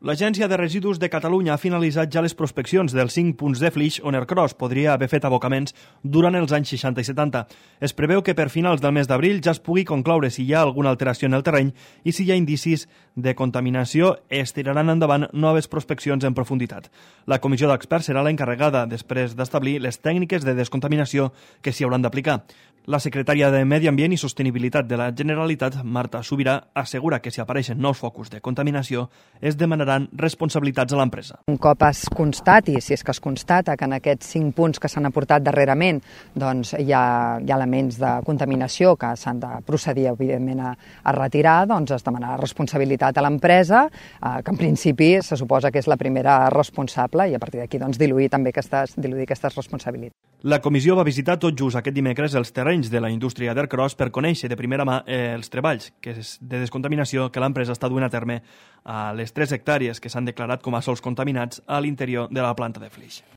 L'Agència de Residus de Catalunya ha finalitzat ja les prospeccions dels 5 punts de Flix on Ercros podria haver fet abocaments durant els anys 60 i 70. Es preveu que per finals del mes d'abril ja es pugui concloure si hi ha alguna alteració en el terreny i si hi ha indicis de contaminació es tiraran endavant noves prospeccions en profunditat. La comissió d'experts serà l'encarregada després d'establir les tècniques de descontaminació que s'hi hauran d'aplicar. La secretària de Medi Ambient i Sostenibilitat de la Generalitat, Marta Subirà, assegura que si apareixen nous focus de contaminació es demanaran responsabilitats a l'empresa. Un cop es constati, si és que es constata que en aquests 5 punts que s'han aportat darrerament doncs hi ha elements de contaminació que s'han de procedir, evidentment, a retirar, doncs es demanarà responsabilitat a l'empresa, que en principi se suposa que és la primera responsable i a partir d'aquí doncs, diluir aquestes responsabilitats. La comissió va visitar tot just aquest dimecres els terrenys de la indústria d'Ercros per conèixer de primera mà els treballs de descontaminació que l'empresa està duent a terme a les 3 hectàrees que s'han declarat com a sòls contaminats a l'interior de la planta de Flix.